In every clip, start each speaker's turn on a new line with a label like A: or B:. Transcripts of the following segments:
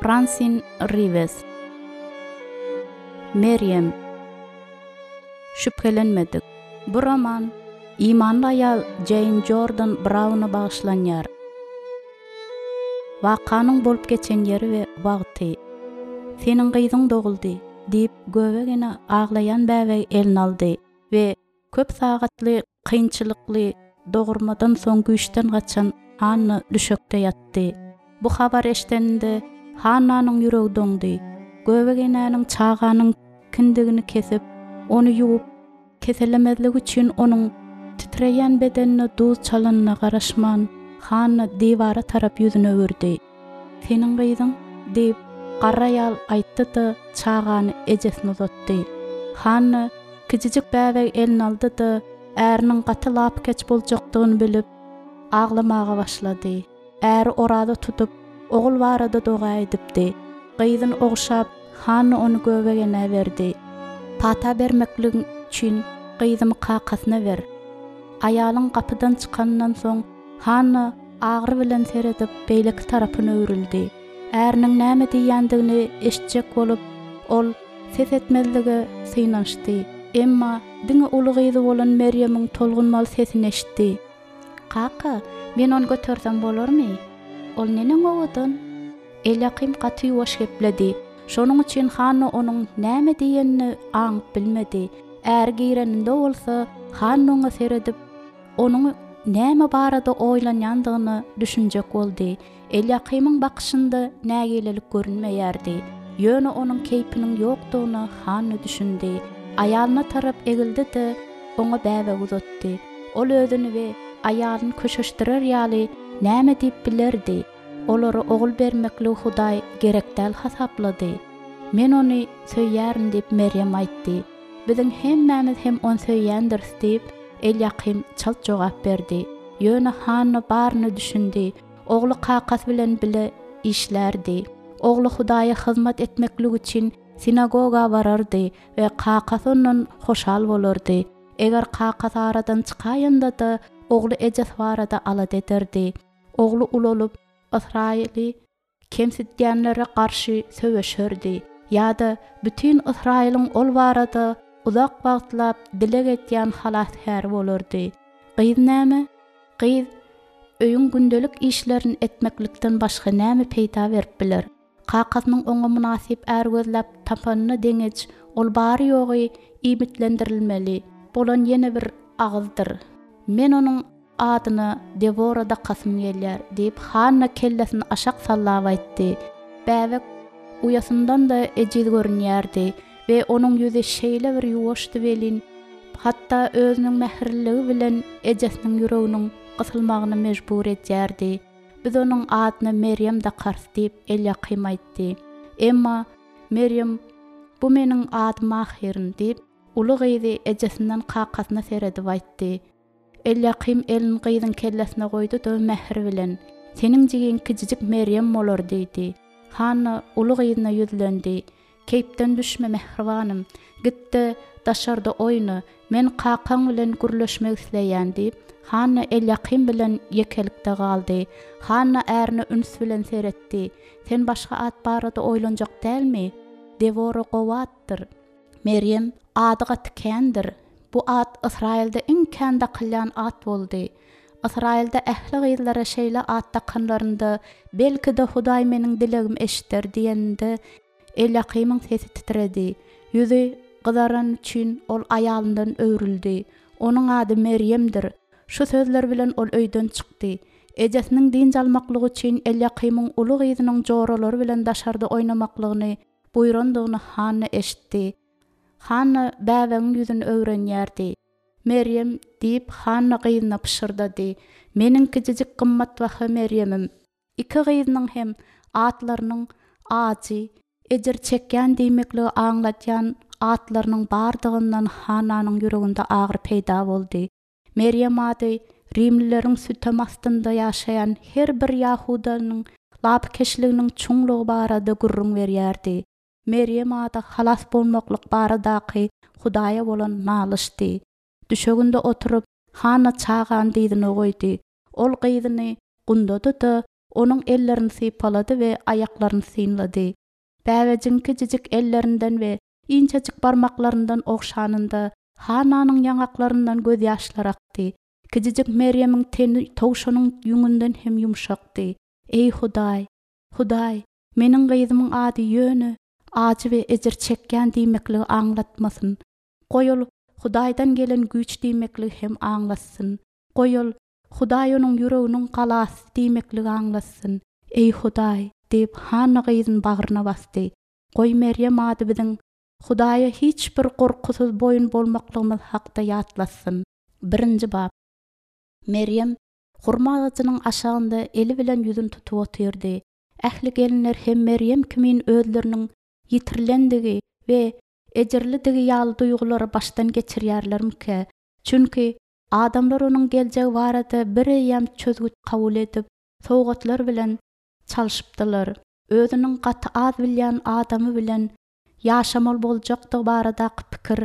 A: Fransin Riwes. Merýem. Şübhelenmedik. Bu roman imanly aýal Jeýn Jordan Brauna bagyşlanýar. Wakanyň bolup geçen ýeri we wagty. Seniň gyzyň doguldy, diýip, göbek ene aglaýan bäbegi eline aldy we Köp sagatly kynçylykly dogurmadan soň güýçden gaçan Hanna düşekde ýatdy. Bu habary eşideninde Hannanyň ýüregi doňdy. Göbek enäniň çaganyň kindigini kesip, ony ýuwup, keselemezligi üçin onuň titreýän bedenine duz çalanyna garaşman, Hanna diwara tarap ýüzüni öwürdi. Seniň gyzyň? diýip, garry aýal aýtdy-da, çagany ejesine uzatdy. Hanna kiçijik bäbegi eline aldy-da, äriniň gaty lapykeç boljakdygyny bilip, aglamaga başlady. Äri oraza tutup, ogul barada doga edipdi. Gyzyny ogşap, Hanna ony göbek enä berdi. Pata bermekligiň üçin gyzymy kakasyna ber. Aýalyň gapydan çykanyndan soň, Hanna agyry bilen seredip, beýleki tarapyna öwrüldi. Äriniň näme diýýändigini eşitjek bolup, ol ses etmezlige synanyşdy. Emma diňe uly gyzy bolan Merýemiň tolgunmaly sesini eşitdi. Kaka, men ony götersem bolarmy? Ol neneň owadan? Elýakym gaty ýuwaş gepledi. Şonuň üçin Hanna onuň näme diýenini aňyp bilmedi. Äri gireninde bolsa, Hanna oňa seredip, Onuň näme barada oýlanýandygyna düşünjek boldy. Elýakymyň bakyşynda nägilelik görünmeýärdi. Ýöne onuň keýpiniň ýokdugyna Hanna düşündi. Aýalyna tarap egildi-de, oňa bäbek uzatdy. Ol özüni we aýalyny köşeşdirer ýaly näme diýip bilerdi? Olara ogul bermekligi Hudaý gerek däl hasaplady. Men ony söýýärin diýip, Merýem aýtdy. Biziň hemmämiz hem ony söýýändiris diýip, Elýakym çalt jogap berdi. Ýöne Hanna baryna düşündi. Ogly kakasy bilen bile işlärdi. Ogly Hudaýa hyzmat etmeklik üçin sinagoga barardy we kakasy ondan hoşal bolardy. Eger kakasy aradan çykaýanda-da, ogly ejesi barada alada ederdi. Ogly ulalyp, Ysraýyly kemsitýänlere garşy söweşerdi ýa-da bütin Ysraýylyň ol barada uzak wagtlap dileg edýän halasgäri bolardy. Gyz näme? Gyz öýüň gündelik işlerini etmeklikden başga näme peýda berip biler? Kakasynyň oňa mynasyp är gözläp tapanyna deňeç ol bary-ýogy iýmitlendirilmeli bolan ýene bir agyzdyr. Men onuň Adyna Dewora dakasym gelýär, diýip, Hanna kellesini aşak sallap aýtdy. Bäbek uýasyndan-da ejiz görünýärdi we onuň ýüzi şeýle bir ýuwaşdy welin, hatda özüniň mähirliligi bilen ejesiniň ýüreginiň gysylmagyna mejbur edýärdi. Biz onuň adyna Merýem dakarys, diýip, Elýakym aýtdy. Emma Merýem, Bu meniň adym ahyryn, diýip, uly gyzy ejesinden kakasyna seredip aýtdy. Elýakym elini gyzyň kellesine goýdy-da, mähir bilen, Seniň jigiň kiçijik Merýem bolar diýdi. Hanna uly gyzyna ýüzlendi, Keýpden düşme, mähribanym. Git-de, daşarda oýna. Men kakaň bilen gürleşmek isleýän diýip, Hanna Elýakym bilen ýekelikde galdy. Hanna ärine üns bilen seretdi. Sen başga at barada oýlanjak dälmi? Dewora gowy atdyr. Merýem ady gaty kändir. Bu at Ysraýylda iň kän dakylýan at boldy. Ysraýylda ähli gyzlara şeýle at dakanlarynda, belki-de, Hudaý meniň dilegimi eşider diýeninde, Elýakymyň sesi titredi. Ýüzi gyzarany üçin ol aýalyndan öwrüldi. Onuň ady Merýemdir. Şu sözler bilen ol öýden çykdy. Ejesiniň dynç almaklygy üçin Elýakymyň uly gyzynyň joralary bilen daşarda oýnamaklygyny buýrandygyny Hanna eşitdi. Hanna bäbegiň ýüzüni öwrenýärdi. Merýem, diýip, Hanna gyzyna pyşyrdady, meniň kiçijik gymmatbaha Merýemim. Iki gyzynyň hem atlarynyň ajy, ejir çekýän diýmekligi aňladýan atlarynyň bardygyndan Hannanyň ýüreginde agyry peýda boldy. Merýem ady rimlileriň sütem astynda ýaşaýan her bir ýahudanyň lapykeçliginiň çuňlugy barada gürrüň berýärdi. Merýem ady halas bolmaklyk baradaky Hudaýa bolan nalyşdy. Düşeginde oturyp, Hanna çagany dyzyna goýdy. Ol gyzyny gundady-da, onuň ellerini sypalady we aýaklaryny synlady. Bäbejigiň kiçijik ellerinden we inçejik barmaklaryndan ogşanynda, Hannanyň ýaňaklaryndan gözýaşlar akdy. Kiçijik Merýemiň teni towşanyň ýüňünden hem ýumşakdy. Eý, Hudaý! Hudaý, meniň gyzymyň ady ýöne ajy we ejir çekýän diýmekligi aňlatmasyn. Goý ol Hudaýdan gelen güýç diýmekligi hem aňlatsyn. Goý ol Hudaý onuň ýüreginiň galasy diýmekligi aňlatsyn. Eý, Hudaý! diýip, Hanna gyzyny bagryna basdy. Goý Merýem ady biziň Hudaýa hiç bir gorkusyz boýun bolmaklygymyz hakda ýatlatsyn. Birinji bap. Merýem hurma agajynyň aşagynda eli bilen ýüzüni tutup otyrdy. Ähli gelinler hem Merýem kimin özleriniň ýitirilendigi we ejirlidigi ýaly duýgulary başdan geçirýärlermikä? Çünki adamlar onuň geljegi barada bireýýäm çözgüt kabul edip, sowgatlar bilen çalşypdylar. Özüniň gaty az bilýän adamy bilen ýaşamaly boljakdygy baradaky pikir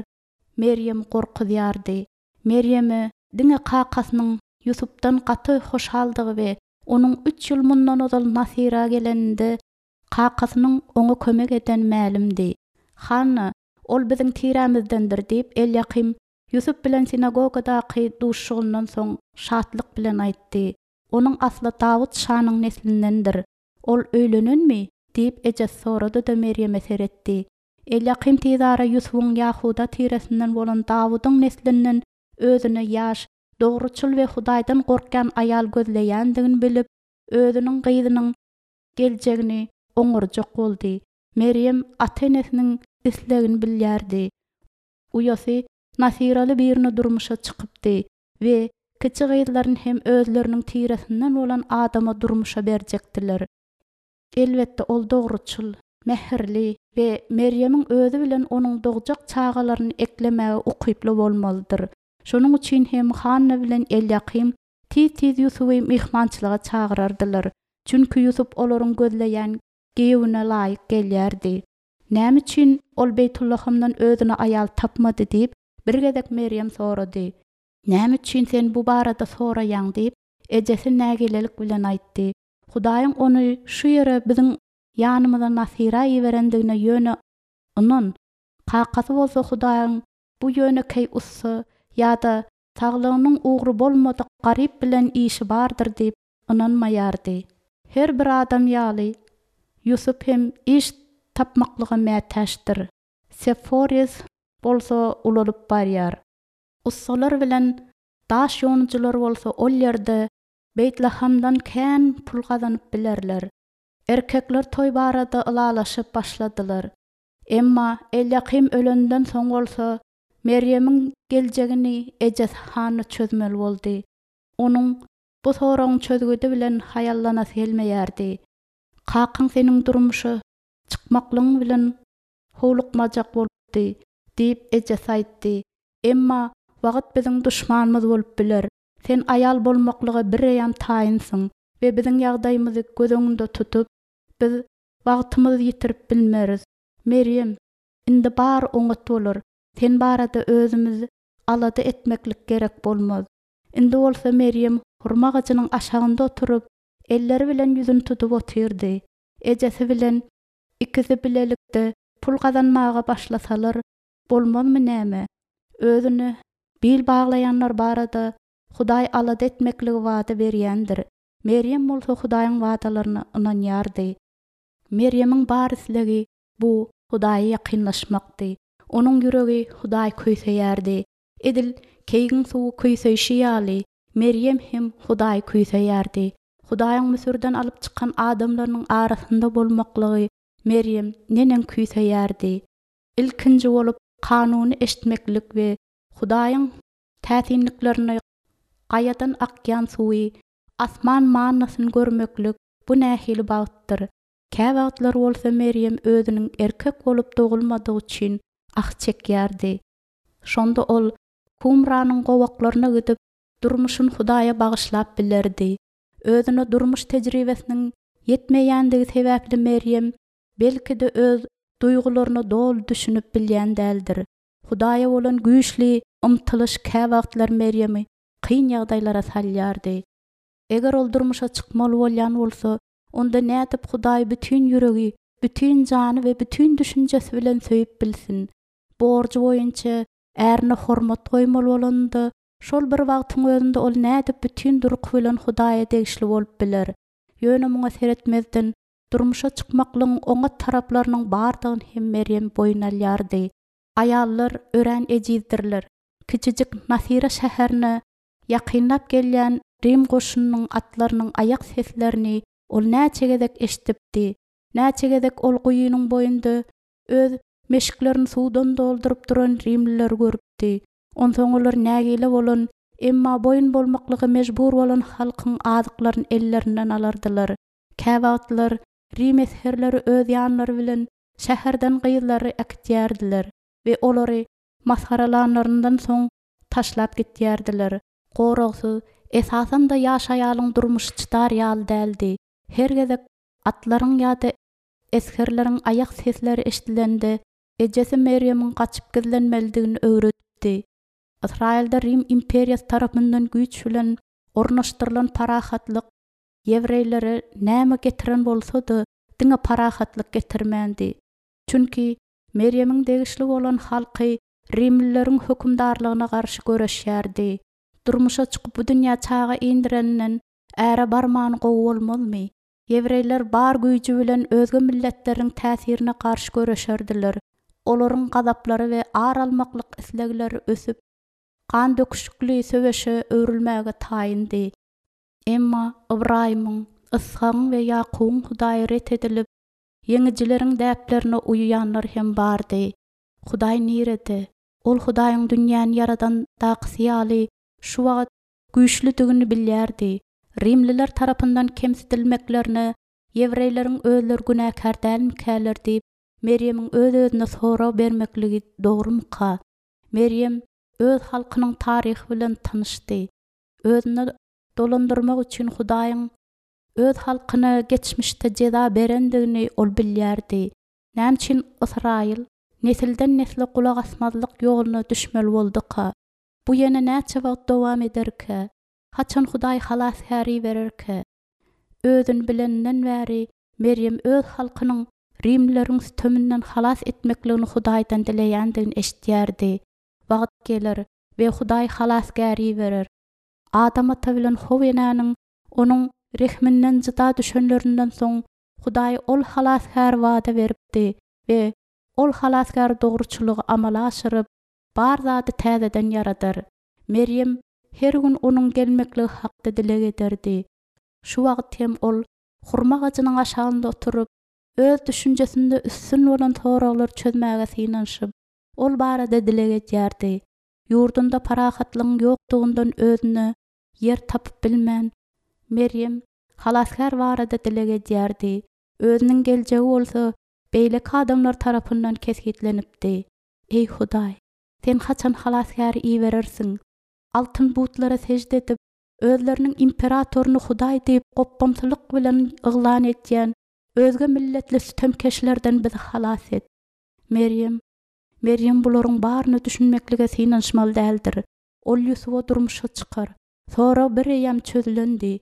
A: Merýemi gorkuzýardy. Merýeme diňe kakasynyň Ýusupdan gaty hoşaldygy we onuň üç ýyl mundan ozal Nasyra geleninde kakasynyň oňa kömek edeni mälimdi. Hanna, Ol biziň tirämizdendir diýip, Elýakym Ýusup bilen sinagogadaky duşuşygyndan soň şatlyk bilen aýtdy. Onuň asly Dawut şanyň neslindendir. Ol öýlenenmi? diýip, ejesi sorady-da Merýeme seretdi. Elýakym tizara Ýusubyň Ýahuda tiresinden bolan Dawudyň neslinden özüne ýaş, dogruçyl we Hudaýdan gorkýan aýal gözleýändigini bilip, özüniň gyzynyň geljegini oňarjak boldy. Merýem ata-enesiniň islegini bilýärdi. Uýasy nasyraly birine durmuşa çykypdy we kiçi gyzlaryny hem özleriniň tiresinden bolan adama durmuşa berjekdiler. Elbetde, ol dogruçyl, mähirli we Merýemiň özi bilen onuň dogjak çagalaryny eklemäge ukyply bolmalydyr. Şonuň üçin hem Hanna bilen Elýakym tiz-tiz Ýusuby myhmançylyga çagyrardylar, çünki Ýusup olaryň gözleýän giýewine laýyk gelýärdi. Näme üçin ol Beýtullahamdan özüne aýal tapmady diýip, bir gezek Merýem sorady. Näme üçin sen bu barada soraýaň diýip, ejesi nägilelik bilen aýtdy. Hudaýyň ony şu ýere biziň ýanymyza Nasyra iberendigine ýöne ynan. Kakasy bolsa Hudaýyň bu ýönekeý ussa ýa-da saglygynyň ugry bolmadyk garyp bilen işi bardyr diýip ynanmaýardy. Her bir adam ýaly, Ýusup hem iş tapmaklyga mätäçdir. Seforis bolsa ulalyp barýar. Ussalar bilen daş ýonujylar bolsa ol ýerde Beýtlahamdan kän pul gazanyp bilerler. Erkekler toý barada ylalaşyp başladylar. Emma Elýakym ölenden soň bolsa, Merýemiň geljegini ejesi Hanna çözmeli boldy. Onuň bu soragyň çözgüdi bilen haýallanasy gelmeýärdi. Kakaň seniň durmuşa çykmaklygyň bilen howlukmajak bolupdy, diýip, ejesi aýtdy. Emma wagt biziň duşmanymyz bolup biler. Sen aýal bolmaklyga bireýýäm taýynsyň we biziň ýagdaýymyzy göz öňünde tutup, biz wagtymyzy ýitirip bilmeris. Merýem, indi bary oňat bolar. Sen barada özümiz alada etmeklik gerek bolmaz. Indi bolsa Merýem hurma agajynyň aşagynda oturyp, elleri bilen ýüzüni tutup otyrdy. Ejesi bilen ikisi bilelikde pul gazanmaga başlasalar bolmazmy näme? Özüne bil baglaýanlar barada Hudaý alada etmekligi wada berýändir. Merýem bolsa Hudaýyň wadalaryna ynanýardy. Merýemiň bar islegi bu Hudaýa ýakynlaşmakdy. Onuň ýüregi Hudaýy küýseýärdi. Edil keýigiň suwy küýseýşi ýaly, Merýem hem Hudaýy küýseýärdi. Hudaýyň Müsürden alyp çykan adamlarynyň arasynda bolmaklygy Merýem neneň küýseýärdi! Ilkinji bolup kanuny eşitmeklik we Hudaýyň täsinliklerini gaýadan akýan suwy, asman mannasyny görmeklik bu nähili bagtdyr! Käwagtlar bolsa Merýem özüniň erkek bolup dogulmadygy üçin ah çekýärdi. Şonda ol Kumranyň gowaklaryna gidip, durmuşyny Hudaýa bagyşlap bilerdi. Özüne durmuş tejribesiniň ýetmeýändigi sebäpli Merýem belki-de öz duýgularyna doly düşünip bilýän däldir. Hudaýa bolan güýçli ymtylyş käwagtlar Merýemi kyn ýagdaýlara salýardy. Eger ol durmuşa çykmaly bolýan bolsa, onda nädip Hudaýy bütin ýüregi, bütin jany we bütin düşünjesi bilen söýüp bilsin? Borjy boýunça ärine hormat goýmaly bolanynda, şol bir wagtyň özünde ol nädip bütin durky bilen Hudaýa degişli bolup biler? Ýöne muňa seretmezden, durmuşa çykmaklygyň oňat taraplarynyň bardygyny hem Merýem boýun alýardy. Aýallar örän ejizdirler. Kiçijik Nasira şäherine ýakynlap gelýän rim goşunynyň atlarynyň aýak seslerini ol näçe gezek eşidipdi. Näçe gezek ol guýynyň boýunda öz meşiklerini suwdan dolduryp duran rimlileri görüpdi. Onsoň olar nägile bolan, emma boýun bolmaklyga mejbur bolan halkyň azyklaryny ellerinden alardylar. Käwagtlar rim esgerleri öz ýanlary bilen şäherden gyzlary äkitýärdiler we olary masgaralanlaryndan soň taşlap gitýärdiler. Goragsyz, esasan-da ýaş aýalyň durmuşy çydar ýaly däldi. Her gezek atlaryň ýa-da esgerleriň aýak sesleri eşidilende, ejesi Merýemiň gaçyp gizlenmelidigini öwredipdi. Ysraýylda Rim imperiýasy tarapyndan güýç bilen ornaşdyrylan parahatlyk ýewreýlere näme getiren bolsa-da, diňe parahatlyk getirmändi. Çünki Merýemiň degişli bolan halky rimlileriň hökümdarlygyna garşy göreşýärdi. Durmuşa çykyp bu dünýä çaga indireninden äre barmany gowy bolmazmy? Ýewreýler bar güýji bilen özge milletleriň täsirine garşy göreşerdiler. Olaryň gazaplary we ar almaklyk islegleri ösüp, gan döküşikli söweşe öwrülmäge taýyndy. Emma Ybraýymyň, Yshagyň we Ýakubyň Hudaýy ret edilip, ýeňijileriň däplerine uýýanlar hem bardy. Hudaý nirede? Ol Hudaýyň dünýäni ýaradandakysy ýaly şu wagt güýçlüdigini bilýärdi. Rimliler tarapyndan kemsidilmeklerine ýewreýleriň özleri günäkär dälmikäler diýip, Merýemiň öz-özüne sorag bermekligi dogrumyka? Merýem öz halkynyň taryhy bilen tanyşdy. Özüne dolandyrmak üçin Hudaýyň öz halkyna geçmişde jeza berendigini ol bilýärdi. Näme üçin Ysraýyl nesilden-nesle gulak asmazlyk ýoluna düşmeli bolduka? Bu ýene näçe wagt dowam ederkä? Haçan Hudaý halasgär ibererkä? Özüni bileninden bäri Merýem öz halkynyň rimlileriň süteminden halas etmekligini Hudaýdan dileýändigini eşidýärdi. Wagt geler we Hudaý halasgär iberer. Adam ata bilen How enäniň Onuň rehminden jyda düşenlerinden soň Hudaý ol halasgäri wada beripdi we ol halasgär dogruçylygy amala aşyryp, bar zady täzeden ýaradar. Merýem her gün onuň gelmekligi hakda dileg ederdi. Şu wagt hem ol hurma agajynyň aşagynda oturyp, öz düşünjesinde üstün bolan soraglary çözmäge synanyşyp, ol barada dileg edýärdi. Ýurdunda parahatlygyň ýokdugyndan özüne ýer tapyp bilmän, Merýem Halasgär barada dileg edýärdi, özüniň geljegi bolsa beýleki adamlar tarapyndan kesgitlenipdi. Eý, Hudaý, Sen haçan Halasgäri iberersiň? Altyn butlara sežde edip, özleriniň imperatoryny Hudaý diýip gopbamsylyk bilen yglan edýän özge milletli sütemkeşlerden bizi halas et. Merýem Merýem bularyň baryna düşünmeklige synanyşmaly däldir. Ol Ýusuba durmuşa çykar. Sorag bir eýýäm çözülendi.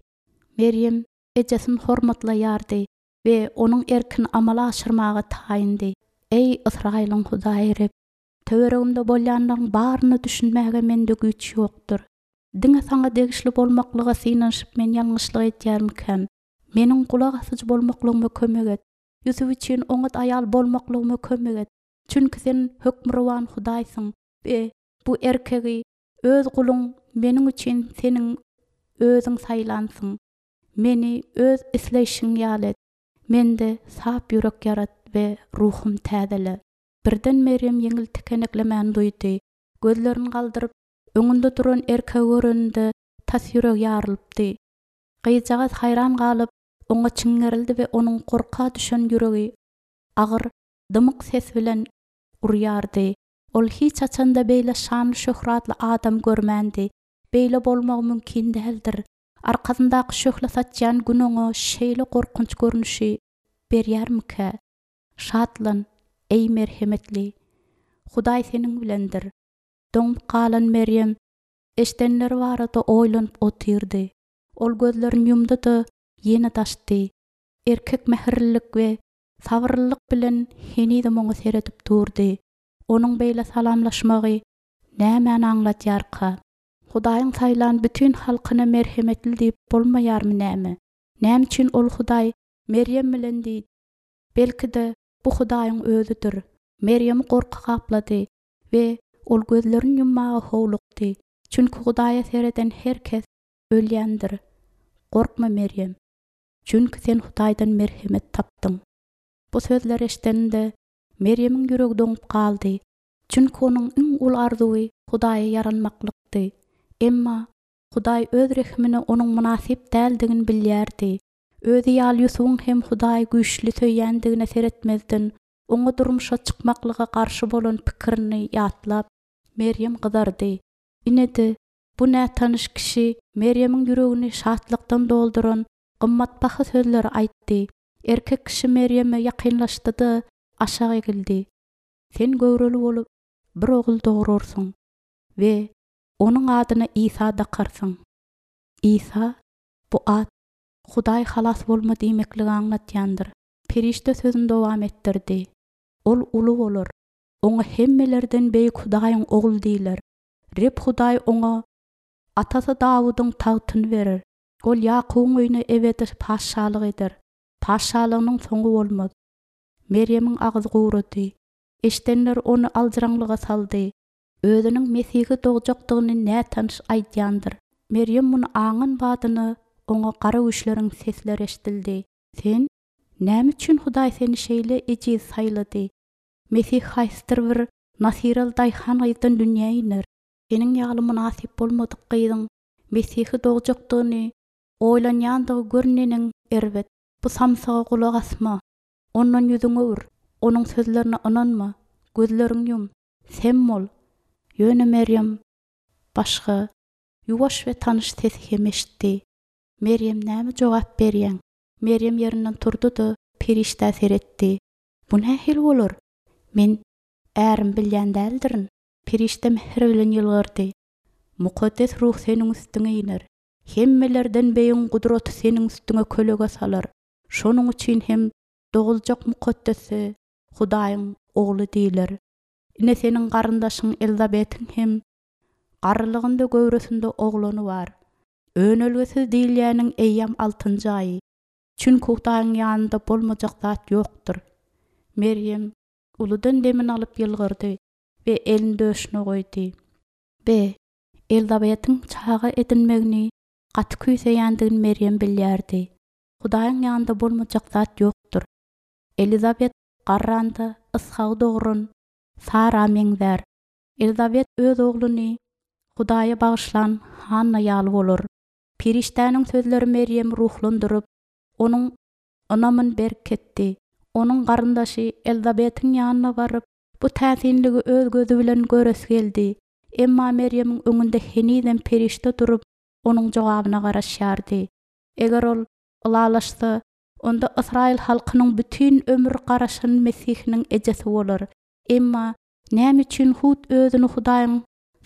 A: Merýem ejesini hormatlaýardy we onuň erkini amala aşyrmaga taýyndy. Eý, Ysraýylyň Hudaýy Reb, töweregimde bolýanlaryň baryna düşünmäge mende güýç ýokdur. Diňe Saňa degişli bolmaklyga synanyşyp men ýalňyşlyk edýärmikäm? Meniň gulak asyjy bolmaklygyma kömek et. Ýusup üçin oňat aýal bolmaklygyma kömek et. Çünki Sen hökmürowan Hudaýsyň we bu erkegi, öz guluň meniň üçin Seniň Özüň saýlansyň. Meni Öz isleýşiň ýaly et. Mende sap ýürek ýarat we ruhum täzele. Birden Merýem ýeňil tikeneklemäni duýdy. Gözlerini galdyryp, öňünde duran erkegi göreninde tas ýüregi ýarylypdy. Gyzjagaz haýran galyp, oňa çiňňerildi we onuň gorka düşen ýüregi agyr, dymyk ses bilen urýardy. Ol hiç haçan-da beýle şanly-şöhratly adam görmändi. Beýle bolmagy mümkin däldir. Arkasyndaky şöhle saçýan Gün oňa şeýle gorkunç görnüşi berýärmikä? Şatlan, eý merhemetli! Hudaý seniň bilendir. Doňup galan Merýem eşdenleri barada oýlanyp otyrdy. Ol gözlerini ýumdy-da, ýene-de açdy. Erkek mähirlilik we sabyrlylyk bilen henizem oňa seredip durdy. Onuň beýle salamlaşmagy nämäni aňladýarka? Hudaýyň saýlan bütin halkyna merhemetli diýip bolmaýarmy näme? Näme üçin ol Hudaý Merýem bilen diýdi? Belki-de, bu Hudaýyň özüdir. Merýemi gorky gaplady we ol gözlerini ýummaga howlukdy, çünki Hudaýa sereden her kes ölýändir. Gorkma, Merýem, çünki sen Hudaýdan merhemet tapdyň. Bu sözleri eşideninde, Merýemiň ýüregi doňup galdy, çünki onuň iň uly arzuwy Hudaýa ýaranmaklykdy. Emma Hudaý Öz rehimine onuň mynasyp däldigini bilýärdi. Özi ýaly Ýusubyň hem Hudaýy güýçli söýýändigine seretmezden, oňa durmuşa çykmaklyga garşy bolan pikirini ýatlap, Merýem gyzardy. Ine-de, bu nätanyş kişi Merýemiň ýüregini şatlykdan dolduran gymmatbaha sözleri aýtdy. Erkek kişi Merýeme ýakynlaşdy-da, aşak egildi. Sen göwreli bolup, bir ogul dograrsyň we onuň adyna Isa dakarsyň. Isa, bu at Hudaý halas bolma diýmekligi aňladýandyr. Perişde sözüni dowam etdirdi. Ol uly bolar. Oňa hemmelerden beýik Hudaýyň Ogly diýler. Reb Hudaý oňa atasy Dawudyň tagtyny berer. Ol Ýakubyň öýüne ebedi patyşalyk eder. Patyşalygynyň soňy bolmaz. Merýemiň agzy gurady. Eşidenler ony aljyraňlyga saldy. Özüniň Mesihi dogjakdygyny nätanyş aýdýandyr. Merýem muny aňan badyna oňa gara güýçleriň sesleri eşidildi. Sen, Näme üçin Hudaý seni şeýle ejiz saýlady? Mesih haýsydyr bir nasyraly daýhan gyzdan dünýä iner. Seniň ýaly mynasyp bolmadyk gyzyň Mesihi dogjakdygyny oýlanýandygy gör neneň erbet. Bu samsyga gulak asma. Ondan ýüzüňi öwür. Onuň sözlerine ynanma. Gözleriňi ýum. Sem bol. Ýöne Merýem başga, ýuwaş we tanyş sesi hem eşitdi. Merýem näme jogap berýäň? Merýem ýerinden turdy-da, perişdä seretdi. Bu nähili bolar? Men ärimi bilýän däldirin. Perişde mähir bilen ýylgyrdy. Mukaddes Ruh seniň üstüňe iner. Hemmelerden beýigiň gudraty seniň üstüňe kölege salar. Şonuň üçin hem doguljak Mukaddese Hudaýyň Ogly diýler. Ine seniň garyndaşyň Elizabetiň hem garrylygynda göwresinde oglany bar. Önelgesiz diýilýäniň eýýäm altynjy aýy. Çünki Hudaýyň ýanynda bolmajak zat ýokdur. Merýem uludan demini alyp ýylgyrdy we elini döşüne goýdy. Be, Elizabetiň çaga edinmegini gaty küýseýändigini Merýem bilýärdi. Hudaýyň ýanynda bolmajak zat ýokdur. Elizabet garranda Yshagy dogran Sara meňzär. Elizabet öz ogluny Hudaýa bagyşlan Hanna ýaly bolar. Perişdäniň sözleri Merýemi ruhlandyryp, onuň ynamyny berkitdi. Onuň garyndaşy Elizabetiň ýanyna baryp, bu täsinligi öz gözi bilen göresi geldi. Emma Merýemiň öňünde henizem perişde durup, onuň jogabyna garaşýardy. Eger ol ylalaşsa, onda ysraýyl halkynyň bütin ömür garaşan Mesihiniň ejesi bolar. Emma näme üçin hut özüni Hudaýyň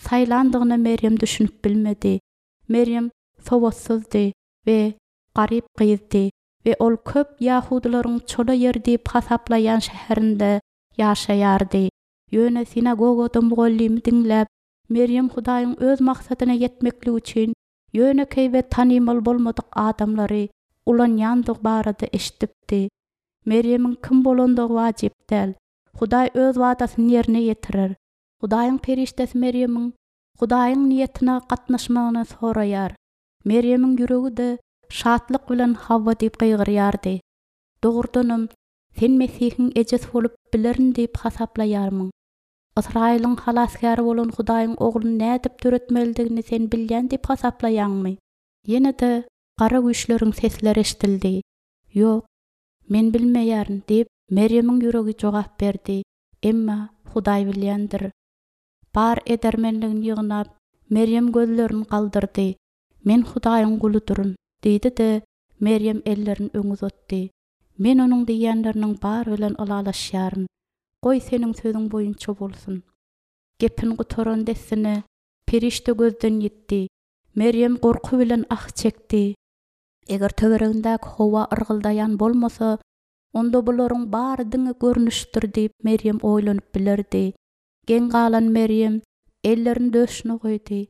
A: saýlandygyna Merýem düşünip bilmedi. Merýem sowatsyzdy we garyp gyzdy we ol köp ýahudylaryň çola ýer diýip hasaplaýan şäherinde ýaşaýardy. Ýöne sinagogada mugallymy diňläp, Merýem Hudaýyň öz maksadyna ýetmekligi üçin ýönekeý we tanymal bolmadyk adamlary ulanýandygy barada eşidipdi. Merýemiň kim bolandygy wajyp däl. Hudaý öz wadasyny ýerine ýetirer. Hudaýyň perişdesi Merýemiň Hudaýyň niýetine gatnaşmagyny soraýar. Merýemiň ýüregi-de şatlyk bilen hawa diýip gygyrýardy. Dogrudanam, sen Mesihiň ejesi bolup bilerin diýip hasaplaýarmyň? Ysraýylyň Halasgäri bolan Hudaýyň Ogluny nädip döretmelidigini sen bilýän diýip hasaplaýaňmy? Ýene-de gara güýçleriň sesleri eşidildi. Ýok, men bilmeýärin, diýip, Merýemiň ýüregi jogap berdi, emma Hudaý bilýändir. Bar edermenligini ýygnap, Merýem gözlerini galdyrdy. Men Hudaýyň guludyryn, diýdi-de, Merýem ellerini öňe uzatdy. Men onuň diýýänleriniň bary bilen ylalaşýaryn. Goý, seniň sözüň boýunça bolsun. Gepini gutaran dessine, perişde gözden ýitdi. Merýem gorky bilen ah çekdi. Eger töweregindäki howa yrgyldaýan bolmasa, onda bularyň bary diňe görnüşdir diýip Merýem oýlanyp bilerdi. Geň galan Merýem ellerini döşüne goýdy.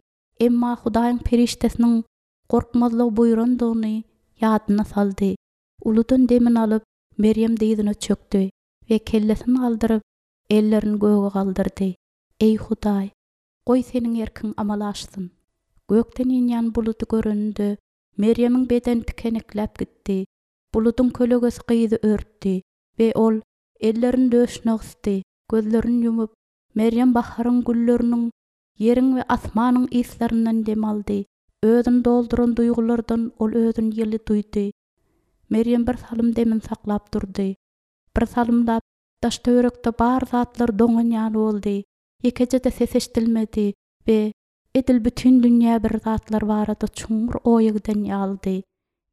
A: Emma Hudaýyň perişdesiniň gorkmazlygy buýrandygyny ýadyna saldy. Uludan demini alyp, Merýem dyzyna çökdi we kellesini galdyryp, ellerini göge galdyrdy. Eý, Hudaý, goý Seniň erkiň amala aşsyn. Gökden inýän buludy göreninde, Merýemiň bedeni tikenekläp gitdi. Buludyň kölegesi gyzy örtdi we ol ellerini döşüne gysdy, gözlerini ýumup, Merýem baharyň gülleriniň, ýeriň we asmanyň yslaryndan dem aldy. Özüni dolduran duýgulardan ol özüni ýyly duýdy. Merýem bir salym demini saklap durdy. Bir salymlap daş-töwerekde bar zatlar doňan ýaly boldy. Ýekeje-de ses eşidilmedi we edil bütin dünýä bir zatlar barada çuňňur oýa giden ýalydy.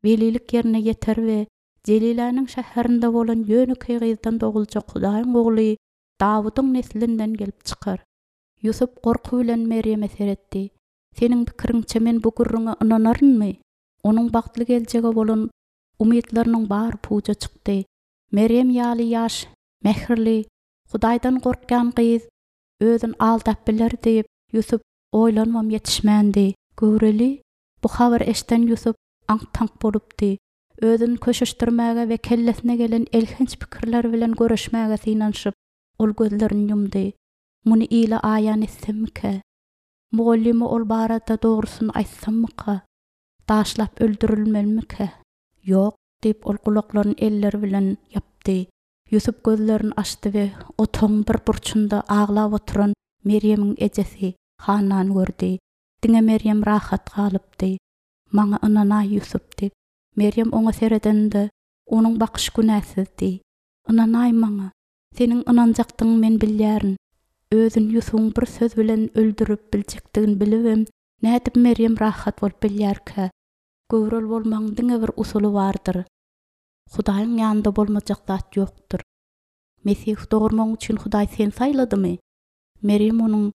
A: Welilik ýerine ýeter we Jeliläniň şäherinde bolan ýönekeý gyzdan doguljak Hudaýyň Ogly Dawudyň neslinden gelip çykar. Ýusup gorky bilen Merýeme seretdi. Seniň pikiriňçe men bu gürrüňe ynanarynmy? Onuň bagtly geljege bolan umytlarynyň bary puja çykdy. Merýem ýaly ýaş, mähirli, Hudaýdan gorkýan gyz özüni aldap biler diýip, Ýusup oýlanybam ýetişmändi. Göwreli? Bu habary eşiden Ýusup aňk-taňk bolupdy. Özüni köşeşdirmäge we kellesine gelen elhenç pikirler bilen göreşmäge synanyşyp, ol gözlerini ýumdy. Muny ile aýan etsemmikä? Mugallyma ol barada dogrusyny aýtsammyka? Daşlap öldürilmelimikä? Ýok, diýip, ol gulaklaryny elleri bilen ýapdy. Ýusup gözlerini açdy we otagyň bir burçunda aglap oturan Merýemiň ejesi Hannany gördi. Diňe Merýem rahat galypdy. Maňa ynanaý, Ýusup, diýip, Merýem oňa seredende, onuň bakyşy günäsizdi. Ynanaý maňa. Seniň ynanjakdygyňy men bilýärin. Özüni Ýusubyň bir söz bilen öldürip biljekdigini bilibem, nädip Merýem rahat bolup bilýärkä? Göwreli bolmagyň diňe bir usuly bardyr. Hudaýyň ýanynda bolmajak zat ýokdur. Mesihi dogurmagyň üçin Hudaý seni saýladymy? Merýem onuň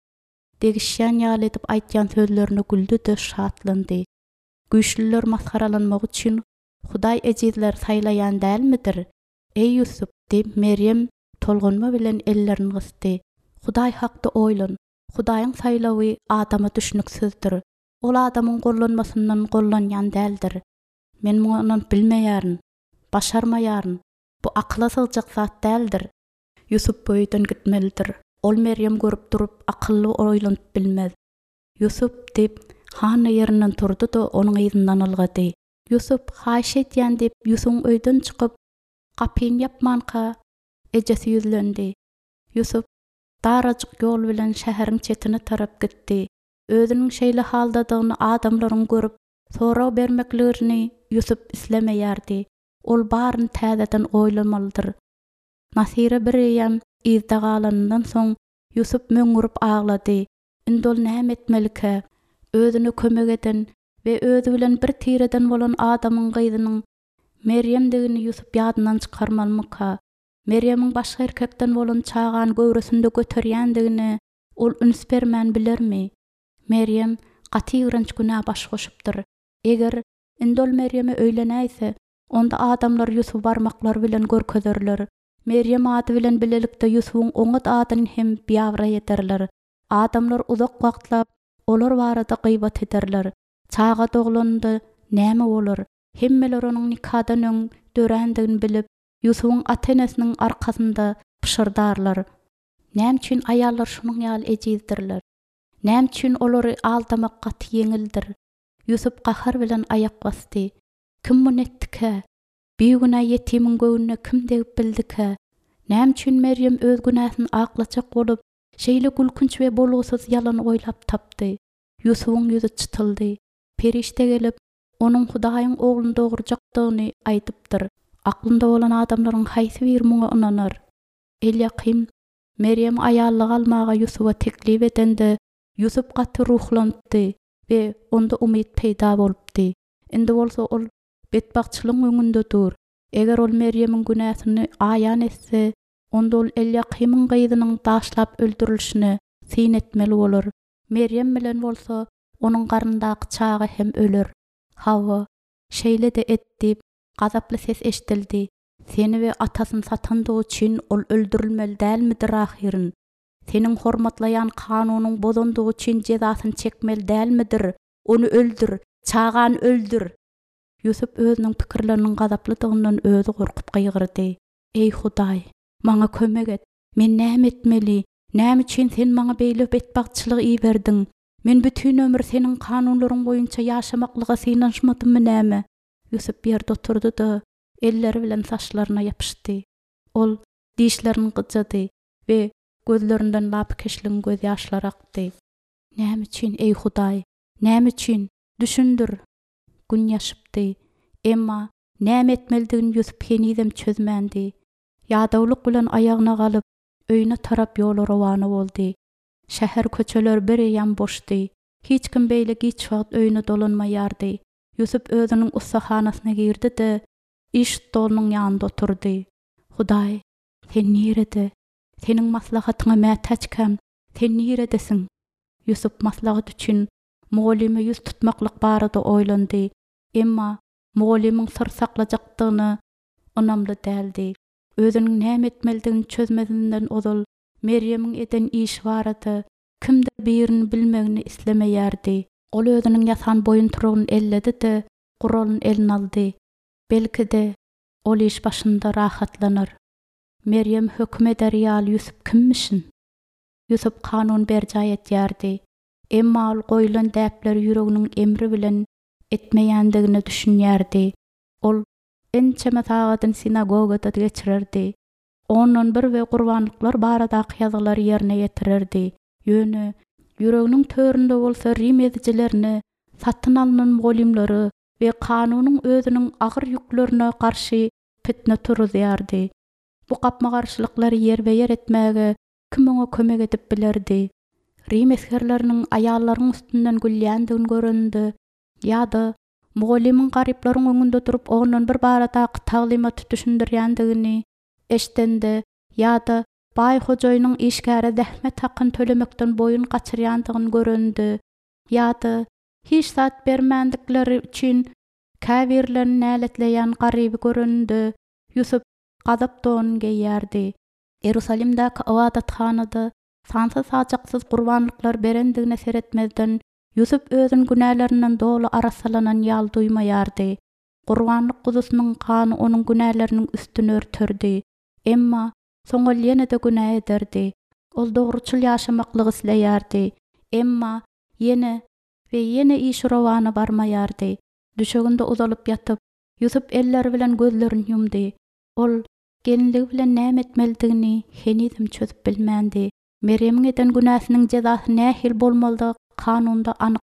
A: degişýän ýaly edip aýdýan sözlerine güldi-de, şatlandy. Güýçlüler masgaralanmagy üçin Hudaý ejizleri saýlaýan dälmidir? Eý, Ýusup! diýip, Merýem tolgunma bilen ellerini gysdy. Hudaý hakda oýlan. Hudaýyň saýlawy adama düşnüksizdir. Ol adamyň gollanmasyndan gollanýan däldir. Men muňa ynanyp bilmeýärin. Başarmaýaryn. Bu akyla sygjak zat däldir. Ýusup bu öýden gitmelidir. Ol Merýem görüp durup, akylly oýlanyp bilmez. Ýusup, diýip, Hanna ýerinden turdy-da, onuň yzyndan ylgady. Ýusup, haýyş edýän, diýip, Ýusubyň öýden çykyp, gapyny ýapmanka, ejesi ýüzlendi. Ýusup darajyk ýol bilen şäheriň çetine tarap gitdi. Özüniň şeýle haldadygyny adamlaryň görüp, Sorag bermeklerini Ýusup islemeýärdi. Ol baryny täzeden oýlamalydyr. Nasyra bireýýäm yzda galanyndan soň, Ýusup möňňürip aglady. Indi ol näme etmelikä? Özüne kömek eden we özi bilen bir tireden bolan adamyň gyzynyň Merýemdigini Ýusup ýadyndan çykarmalymyka? Merýemiň başga erkekden bolan çagany göwresinde göterýändigine ol üns bermän bilermi? Merýem gaty ýigrenç günä baş goşupdyr. Eger, indi ol Merýeme öýlenäýse, onda adamlar Ýusuby barmaklary bilen görkezerler. Merýem ady bilen bilelikde Ýusubyň oňat adyny hem biabraý ederler. Adamlar uzak wagtlap olar barada gybat ederler. Çaga doglanynda näme bolar? Hemmeler onuň nikadan öň dörändigini bilip, Ýusubyň ata-enesiniň arkasynda pyşyrdarlar. Näme üçin aýallar şunuň ýaly ejizdirler? Näme üçin olary aldamak gaty ýeňildir? Ýusup gahar bilen aýak basdy. Kim muny etdikä? Bigünä ýetimiň göwnüne kim degip bildikä? Näme üçin Merýem öz günäsini aklajak bolup, şeýle gülkünç we bolgusyz ýalan oýlap tapdy? Ýusubyň ýüzi çytyldy. Perişde gelip, onuň Hudaýyň Ogluny dogurjakdygyny aýdypdyr. Aklynda bolan adamlaryň haýsy biri muňa ynanar? Elýakym Merýemi aýallyga almaga Ýusuba teklip edende, Ýusup gaty ruhlanypdy we onda umyt peýda bolupdy. Indi bolsa ol betbagtçylygyň öňünde dur. Eger ol Merýemiň günäsini aýan etse, onda ol Elýakymyň gyzynyň daşlap öldürilişine syn etmeli bolar. Merýem bilen bolsa onuň garnyndaky çaga hem öler. Hawa. Şeýle-de et diýip, gazaply ses eşidildi. Seni we atasyny satandygy üçin ol öldürilmeli dälmidir ahyryn? Seniň hormatlaýan kanunyň bozandygy üçin jezasyny çekmeli dälmidir? Ony öldür! Çagany öldür! Ýusup özüniň pikirleriniň gazaplydygyndan özi gorkup gygyrdy. Eý, Hudaý! Maňa kömek et! Men näme etmeli? Näme üçin Sen maňa beýle betbagtçylygy iberdiň? Men bütin ömür Seniň kanunlaryň boýunça ýaşamaklyga synanyşmadymmy näme? Ýusup ýerde oturdy-da, elleri bilen saçlaryna ýapyşdy. Ol dişlerini gyjady we gözlerinden lapykeçligiň gözýaşlary akdy. Näme üçin, eý Hudaý? Näme üçin? Düşündir! Gün ýaşypdy. Emma näme etmelidigini Ýusup henizem çözmändi. Ýadawlyk bilen aýagyna galyp, öýüne tarap ýola rowana boldy. Şäher köçeleri bireýýäm boşdy. Hiç kim beýle giç wagt öýüne dolanmaýardy. Ýusup özüniň ussahanasyna girdi-de, iş stolunyň ýanynda oturdy. Hudaý, Sen nirede? Seniň maslahatyňa mätäçkäm, Sen niredesiň? Ýusup maslahat üçin mugallyma ýüz tutmaklyk barada oýlandy. Emma mugallymyň syr saklajakdygyna ynamly däldi. Özüniň näme etmelidigini çözmezinden ozal Merýemiň eden işi barada kimdir birini bilmegini islemeýärdi. Ol özüniň ýasan boýuntyrygyny elledi-de, guralyny eline aldy. Belki-de, ol iş başynda rahatlanar. Merýem höküm eder ýaly Ýusup kimmişin? Ýusup kanuny berjaý edýärdi. Emma ol goýlan däpleri ýüreginiň emri bilen etmeýändigine düşünýärdi. Ol ençeme sagadyny sinagogada geçirerdi. Ondan bir we gurbanlyklar baradaky ýazgylary ýerine ýetirerdi. Ýöne, ýüreginiň töründe bolsa rim ezijilerine, satyn alnan mugallymlara we kanunyň özüniň agyr ýüklerine garşy pitne turuzýardy. Bu gapma-garşylyklary ýerbe-ýer etmäge kim oňa kömek edip bilerdi? Rim esgerleriniň aýallaryň üstünden gülýändigini göreninde ýa-da mugallymyň garyplaryň öňünde durup ondan bir baradaky taglymaty düşündirýändigini eşidende ýa-da baý hojaýynyň işgäre zähmet hakyny tölemekden boýun gaçyrýandygyny görende ýa-da hiç zat bermändikleri üçin käbirlerini näletleýän garyby göreninde Ýusup gazap donuny geýýärdi. Ierusalimdäki ybadathanada sansyz-sajaksyz gurbanlyklar berendigine seretmezden, Ýusup özüni günälerinden doly arassalanan ýaly duýmaýardy. Gurbanlyk guzusynyň gany onuň günäleriniň üstüni örterdi. Emma soň ol ýene-de günä ederdi. Ol dogruçyl ýaşamaklygy isleýärdi. Emma ýene we ýene işi rowana barmaýardy. Düşeginde uzalyp ýatyp, Ýusup elleri bilen gözlerini ýumdy. Ol gelinligi bilen näme etmelidigini henizem çözüp bilmändi. Merýemiň eden günäsiniň jezasy nähili bolmalydygy kanunda anyk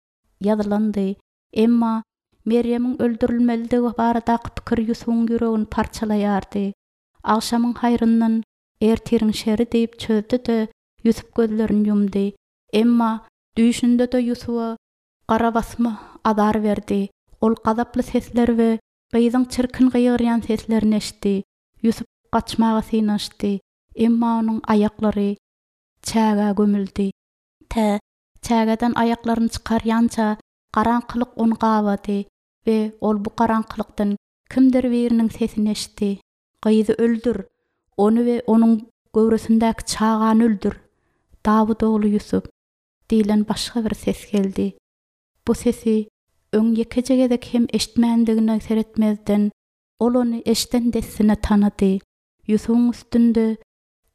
A: ýazylandy. Emma Merýemiň öldürilmelidigi baradaky pikir Ýusubyň ýüregini parçalaýardy. Agşamyň haýryndan ertiriň şeri diýip çözdi-de, Ýusup gözlerini ýumdy. Emma düýşünde-de Ýusuba garabasma azar berdi. Ol gazaply sesleri we gyzyň çirkin gygyrýan seslerini eşitdi. Ýusup gaçmaga synanyşdy. Emma onuň aýaklary çägä gömüldi. Tä çägeden aýaklaryny çykarýança garaňkylyk ony gabady we ol bu garaňkylykdan kimdir biriniň sesini eşitdi, Gyzy öldür! Ony we onuň göwresindäki çagany öldür! Dawut ogly Ýusup! diýlen başga bir ses geldi. Bu sesi öň ýekeje gezek hem eşitmändigine seretmezden, ol ony eşiden dessine tanady. Ýusubyň üstünde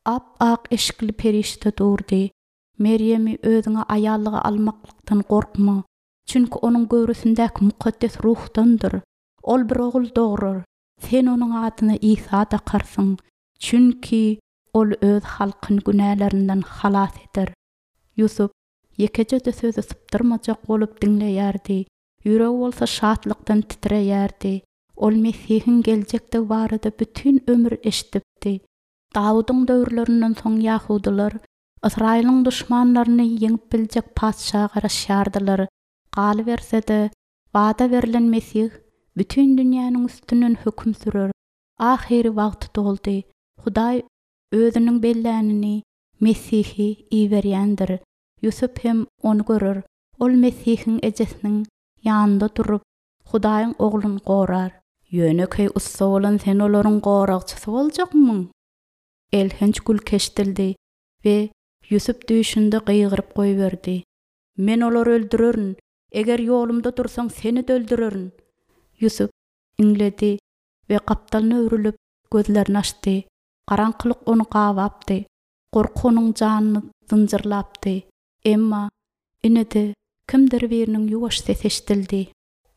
A: ap-ak eşikli perişde durdy. Merýemi özüňe aýallyga almaklykdan gorkma, çünki onuň göwresindäki mukaddes ruhdandyr. Ol bir ogul dograr, sen onuň adyna Isa dakarsyň, çünki ol öz halkyny günälerinden halas eder. Ýusup ýekeje-de sözi sypdyrmajak bolup diňleýärdi, ýüregi bolsa şatlykdan titreýärdi. Ol Mesihiň geljekdigi barada bütin ömür eşidipdi. Dawudyň döwürlerinden soň ýahudylar Ysraýylyň duşmanlaryny ýeňip biljek patyşa garaşýardylar. Galyberse-de, wada berlen Mesih bütin dünýäniň üstünden höküm sürer. Ahyry wagty doldy. Hudaý Özüniň bellänini, Mesihi iberýändir. Ýusup hem Ony görer. Ol Mesihiň ejesiniň ýanynda durup, Hudaýyň Ogluny gorar. Ýönekeý ussa bolan sen olaryň goragçysy boljakmyň? Elhenç gülki eşidildi we Ýusup düýşünde gygyryp goýberdi. Men olary öldürerin! Eger ýolumda dursaň, seni-de öldürerin! Ýusup iňledi we gapdalyna öwrülip, gözlerini açdy. Garaňkylyk ony gabapdy. Gorky onuň janyny zynjyrlapdy. Emma, ine-de, kimdir biriniň ýuwaş sesi eşidildi.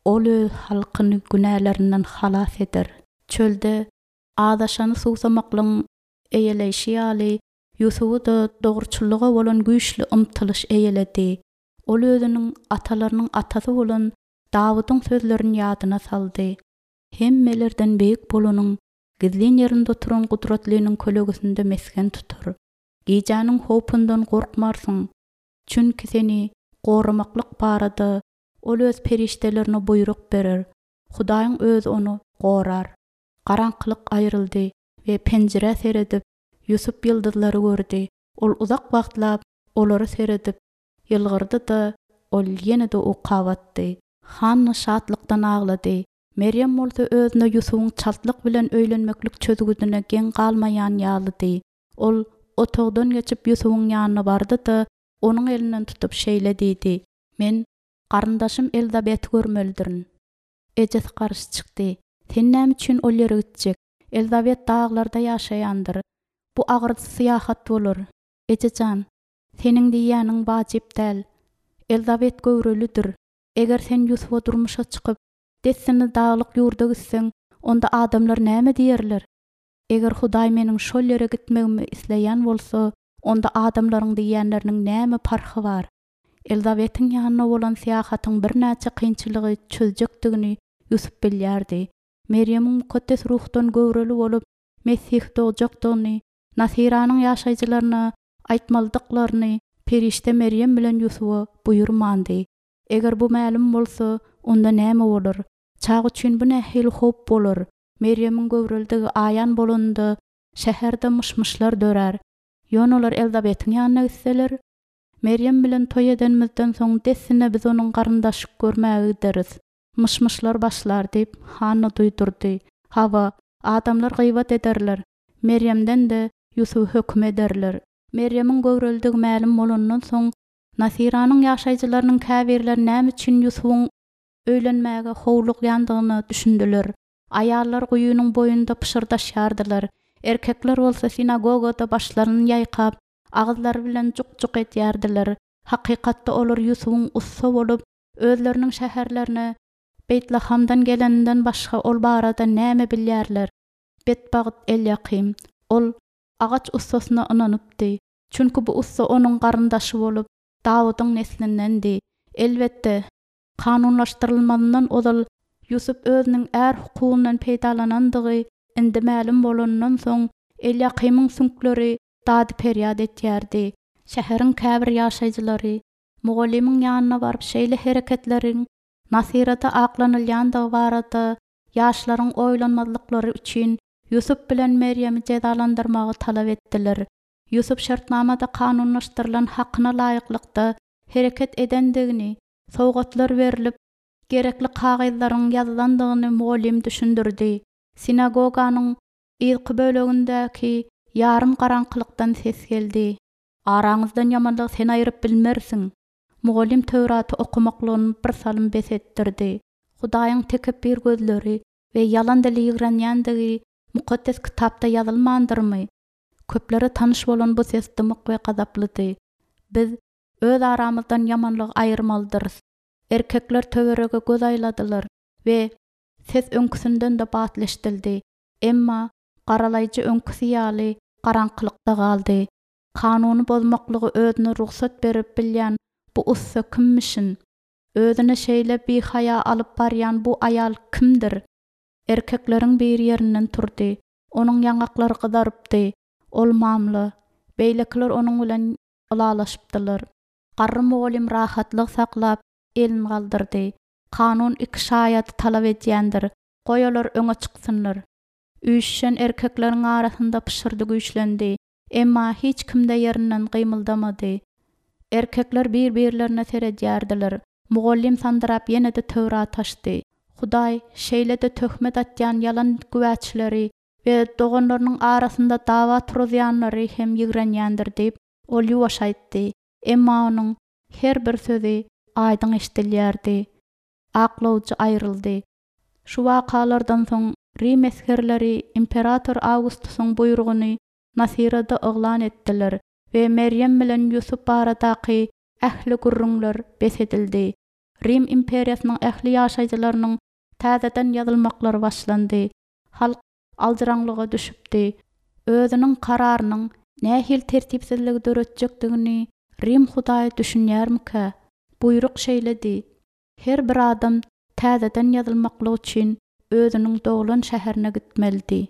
A: Ol öz halkyny günälerinden halas eder. Çölde azaşany suwsamaklygyň eýeleýşi ýaly, Ýusuby-da dogruçyllyga bolan güýçli ymtylyş eýeledi. Ol özüniň atalarynyň atasy bolan Dawudyň sözlerini ýadyna saldy. Hemmelerden beýik bolanyň gizlin ýerinde oturan Gudratlynyň kölegesinde mesgen tutar. Gijäniň howpundan gorkmarsyň, çünki seni goramaklyk barada Ol öz perişdelerine buýruk berer, Hudaýyň Özi ony gorar. Garaňkylyk aýryldy we penjirä seredip, Ýusup ýyldyzlary gördi. Ol uzak wagtlap olara seredip, ýylgyrdy-da, ol ýene-de uka batdy. Hanna şatlykdan aglady. Merýem bolsa özüne Ýusubyň çaltlyk bilen öýlenmeklik çözgüdine geň galmaýan ýalydy. Ol otagdan geçip Ýusubyň ýanyna bardy-da, onuň elinden tutup şeýle diýdi, Men garyndaşym Elizabeti görmelidirin. Ejesi garşy çykdy, Sen näme üçin ol ýere gitjek? Elizabet daglarda ýaşaýandyr. Bu agyr syýahat bolar. Eje jan, seniň diýýäniň wajyp däl. Elizabet göwrelidir. Eger sen Ýusuba durmuşa çykyp, dessine daglyk ýurda gitseň, onda adamlar näme diýerler? Eger Hudaý meniň şol ýere gitmegimi isleýän bolsa, onda adamlaryň diýýänleriniň näme parhy bar? Elizabetiň ýanyna bolan syýahatyň birnäçe kynçylygy çözjekdigini Ýusup bilýärdi. Merýemiň mukaddes ruhdan göwreli bolup, Mesihi dogjakdygyny Nasyranyň ýaşaýjylaryna aýtmalydyklaryny perişde Merýem bilen Ýusuba buýurmandy. Eger bu mälim bolsa, onda näme bolar? Çaga üçin bu nähili howp bolar? Merýemiň göwrelidigi aýan bolanynda, şäherde myş-myşlar dörär. Ýöne olar Elizabetiň ýanyna gitseler, Merýem bilen toý edenimizden soň dessine biz onuň garyndaşy görmäge gideris. Myş-myşlar başlar diýip, Hanna duýdurdy. Hawa, adamlar gybat ederler. Merýemden-de Ýusuby höküm ederler. Merýemiň göwrelidigi mälim bolandan soň, Nasyranyň ýaşaýjylarynyň käbirleri näme üçin Ýusubyň öýlenmäge howlugýandygyna düşündiler. Aýallar guýynyň boýunda pyşyrdaşýardylar, erkekler bolsa sinagogada başlaryny ýaýkap, agyzlary bilen juk-juk edýärdiler. Hakykatda olar Ýusubyň ussa bolup, özleriniň şäherlerine Beýtlahamdan geleninden başga ol barada näme bilýärler? Betbagt Elýakym. Ol agaç ussasyna ynanypdy. Çünki bu ussa onuň garyndaşy bolup, Dawudyň neslindendi. Elbetde, Kanunlaşdyrylmazyndan ozal Ýusup özüniň är hukugyndan peýdalanandygy indi mälim bolanyndan soň, Elýakymyň süňkleri dady-perýat etýärdi. Şäheriň käbir ýaşaýjylary mugallymyň ýanyna baryp şeýle hereketleriň Nasyrada aklanylýandygy barada ýaşlaryň oýlanmazlyklary üçin Ýusup bilen Merýemi jezalandyrmagy talap etdiler. Ýusup şertnamada kanunlaşdyrylan hakyna laýyklykda hereket edendigini, sowgatlar berlip, gerekli kagyzlaryň ýazylandygyny mugallym düşündirdi. Sinagoganyň yzky bölegindäki ýarym garaňkylykdan ses geldi. Araňyzdan ýamanlygy sen aýryp bilmersiň. Mugallym Töwraty okamaklygyny birsalym bes etdirdi. Hudaýyň tekepbir gözleri we ýalan dili ýigrenýändigi Mukaddes Kitapda ýazylmandyrmy? Köplere tanyş bolan bu ses dymyk we gazaplydy. Biz Öz aramyzdan ýamanlygy aýyrmalydyrys. Erkekler töwerege göz aýladylar we ses öňküsinden-de batly eşidildi. Emma garalaýjy öňküsi ýaly garaňkylykda galdy. Kanuny bozmaklygy özüne rugsat berip bilýän bu ussa kimmişin? Özüni şeýle bihaýa alyp barýan bu aýal kimdir? Erkekleriň biri ýerinden turdy. Onuň ýaňaklary gyzarypdy. Ol mamla. Beýlekiler onuň bilen ylalaşypdylar. Garry mugallym rahatlyk saklap, elini galdyrdy. Kanun iki şaýady talap edýändir. Goý olar öňe çyksynlar. Üýşüşen erkekleriň arasynda pyşyrdy güýçlendi. Emma hiç kim-de ýerinden gymyldamady. Erkekler bir-birlerine seredýärdiler. Mugallym sandyrap ýene-de Töwrat açdy. Hudaý şeýle-de töhmet atýan ýalan güwäçileri we doganlarynyň arasynda dawa turuzýanlary hem ýigrenýändir diýip, ol ýuwaş aýtdy, emma onuň her bir sözi aýdyň eşidilýärdi. Aklawjy aýryldy. Şu wakalardan soň rim esgerleri imperator Awgustusyň buýrugyny Nasyrada yglan etdiler we Merýem bilen Ýusup baradaky ähli gürrüňler bes edildi. Rim imperiýasynyň ähli ýaşaýjylarynyň täzeden ýazylmaklary başlandy. Halk aljyraňlyga düşüpdi. Özüniň kararynyň nähili tertipsizligi döretjekdigini Rim hudaýy düşünýärmikä? Buýruk şeýledi, her bir adam täzeden ýazylmaklyk üçin özüniň doglan şäherine gitmelidi.